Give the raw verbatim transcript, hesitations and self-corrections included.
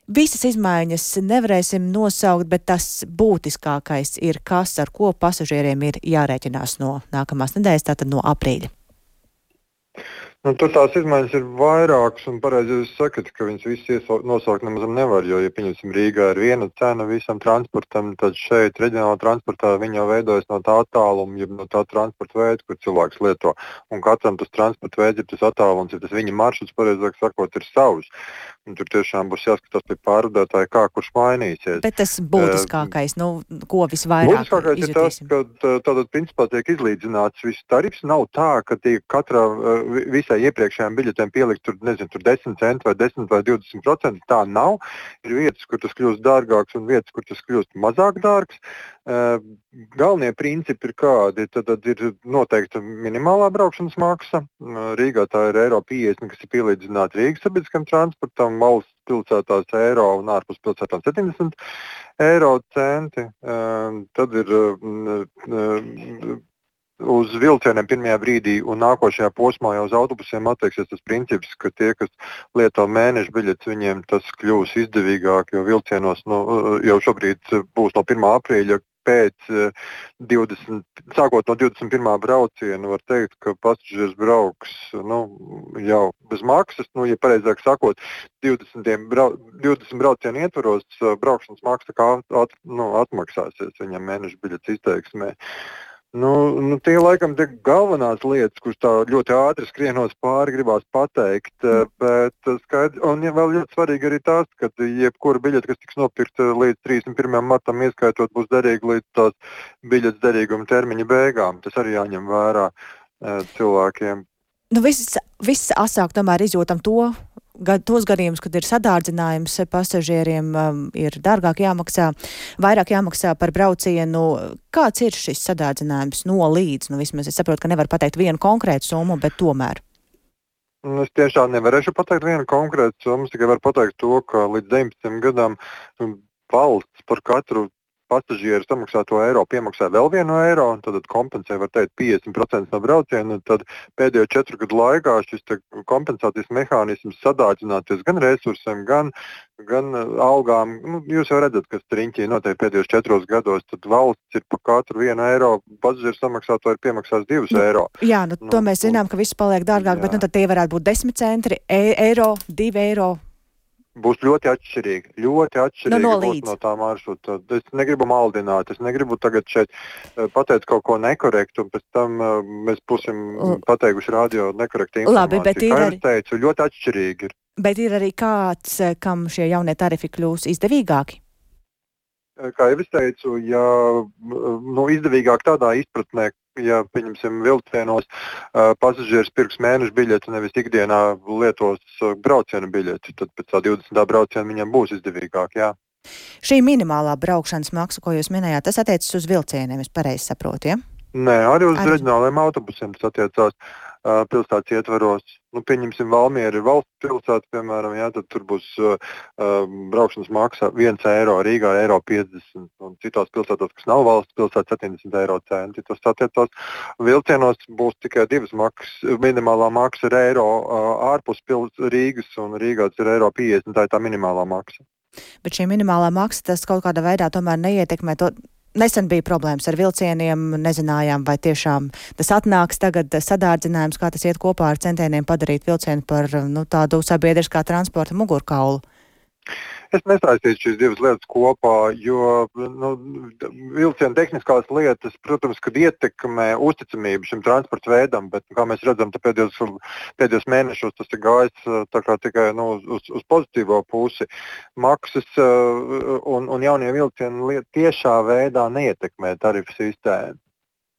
Visas izmaiņas nevarēsim nosaukt, bet tas būtiskākais ir, kas ar ko pasažieriem ir jārēķinās no nākamās nedēļas, tātad no aprīļa. Nu, tur tās izmaiņas ir vairākas, un pareizi jūs sakat, ka viņas visas nosaukt nemaz nevar, jo, ja pieņemsim Rīgā ir viena cena visam transportam, tad šeit reģionāla transportā viņa jau veidojas no tā attāluma, ja no tā transporta veida, kur cilvēks lieto. Un katram tas transporta veids ir tas attālums, ja tas viņa maršruts, pareizāk sakot, ir savs. Un tur tiešām būs jāskatās pie pārvadātāja, kā kurš mainīsies. Bet tas būtiskākais, uh, nu, ko visvairāk būtiskākais izjutīsim? ir tas, ka tātad principā tiek izlīdzināts viss tarifs. Nav tā, ka tiek katrā uh, visai iepriekšējām biļetēm pielikt tur, nezinu, tur desmit centi vai desmit vai divdesmit procenti. Tā nav. Ir vietas, kur tas kļūst dārgāks un vietas, kur tas kļūst mazāk dārgs. Uh, galvenie principi ir kādi. Tad, tad ir noteikta minimālā braukšanas maksa. Uh, Rīgā tā ir eiro piecdesmit, kas ir pielīdzināta Rīgas sabiedriskam transportam, valsts pilsētās eiro un ārpus pilsētām septiņdesmit eiro centi. Uh, tad ir uh, uz vilcieniem pirmajā brīdī un nākošajā posmā jau uz autobusiem attieksies tas princips, ka tie, kas lieto mēneša biļetes, viņiem tas kļūs izdevīgāk, jo vilcienos nu, jau šobrīd būs no pirmā aprīļa pēc divdesmit, sākot no divdesmit pirmā brauciena, var teikt, ka pasažieris brauks nu, jau bez maksas, nu, ja pareizāk sakot, divdesmit, brau, divdesmit braucienu ietvaros braukšanas maksa kā at, nu, atmaksāsies viņam mēneša biļetes izteiksmē. Nu, nu, tie laikam tie galvenās lietas, kuras tā ļoti ātri skrienos pāri, gribās pateikt, bet skaidrs, un ja vēl ļoti svarīgi arī tas, ka jebkura biļete, kas tiks nopirkta līdz trīsdesmit pirmajam martam, ieskaitot, būs derīga līdz tās biļetes derīguma termiņa beigām. Tas arī jāņem vērā cilvēkiem. Nu, viss, viss asāk tomēr izjūtam to, Gad, tos gadījumus, kad ir sadārdzinājums pasažieriem, um, ir dārgāk jāmaksā, vairāk jāmaksā par braucienu. Kāds ir šis sadārdzinājums no līdz? Nu, vismaz es saprotu, ka nevar pateikt vienu konkrētu summu, bet tomēr. Es tiešām nevarēšu pateikt vienu konkrētu summu, tikai varu pateikt to, ka līdz deviņpadsmitam gadam valsts par katru pasažieru samaksāto eiro piemaksā vēl vienu eiro, un tad kompensē, var teikt, piecdesmit procenti no brauciena, un tad pēdējo četru gadu laikā šis kompensācijas mehānisms sadārdzināties gan resursiem, gan, gan algām. Nu, jūs jau redzat, kas riņķī notiek pēdējos četros gados, tad valsts ir par katru vienu eiro pasažieru samaksāto ir piemaksās divus nu, eiro. Jā, nu, to nu, mēs zinām, ka viss paliek dārgāk, jā. Bet nu, tad tie varētu būt desmit centi, e eiro, divi eiro. Būs ļoti atšķirīgi, ļoti atšķirīgi no, no būs no tā maršruta. Es negribu maldināt, es negribu tagad šeit pateikt kaut ko nekorektu, un pēc tam uh, mēs būsim pateikuši radio nekorektu informāciju. Labi, bet ir Kā arī... es teicu, ļoti atšķirīgi ir. Bet ir arī kāds, kam šie jaunie tarifi kļūs izdevīgāki? Kā jau es teicu, ja nu, izdevīgāk tādā izpratnē, ja, pieņemsim, vilcienos uh, pasažieris pirks mēneša biļeti, nevis ikdienā lietos uh, brauciena biļeti, tad pēc tā divdesmitā brauciena viņam būs izdevīgāk, jā. Šī minimālā braukšanas maksa, ko jūs minējāt, tas attiecas uz vilcieniem, es pareizi saprotu, ja? Nē, arī uz Ar... reģionālajiem autobusiem tas attiecās uh, pilsētas ietvaros. Nu, pieņemsim, Valmiera ir valsts pilsēta, piemēram, jā, tad tur būs uh, braukšanas maksa viens eiro, Rīgā eiro piecdesmit, un citās pilsētās, kas nav valsts pilsēta, septiņdesmit eiro centi. Tas attiecās vilcienos būs tikai divas maksas, minimālā maksa ir eiro uh, ārpus pils Rīgas, un Rīgā tas ir eiro piecdesmit, tā ir tā minimālā maksa. Bet šī minimālā maksa, tas kaut kādā veidā tomēr neietekmē to. Nesen bija problēmas ar vilcieniem, nezinājām, vai tiešām tas atnāks tagad sadārdzinājums, kā tas iet kopā ar centieniem padarīt vilcienu par nu, tādu sabiedriskā transporta mugurkaulu. Es nesaistītu šīs divas lietas kopā, jo nu, vilciena tehniskās lietas, protams, kad ietekmē uzticamību šim transporta veidam, bet, kā mēs redzam, pēdējos, pēdējos mēnešos tas ir gājis tā kā tikai nu, uz, uz pozitīvo pusi. Maksas un, un jaunie vilcieni tiešā veidā neietekmē tarifu sistēmu.